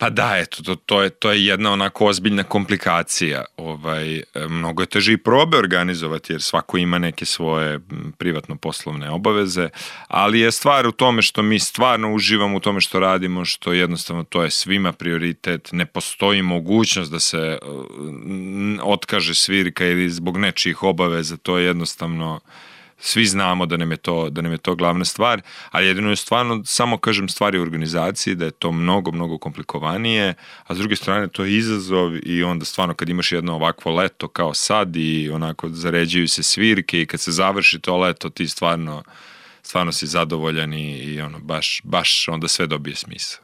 Pa da, eto, to je jedna onako ozbiljna komplikacija. Mnogo je teže i probe organizovati, jer svako ima neke svoje privatno poslovne obaveze, ali je stvar u tome što mi stvarno uživamo u tome što radimo, što jednostavno to je svima prioritet, ne postoji mogućnost da se otkaže svirka ili zbog nečijih obaveza, to je jednostavno... Svi znamo da nam je to glavna stvar, ali jedino je stvarno, samo kažem, stvari u organizaciji, da je to mnogo, mnogo komplikovanije, a s druge strane to je izazov i onda stvarno kad imaš jedno ovakvo leto kao sad i onako zaređuju se svirke i kad se završi to leto ti stvarno si zadovoljan i ono, baš onda sve dobije smisao.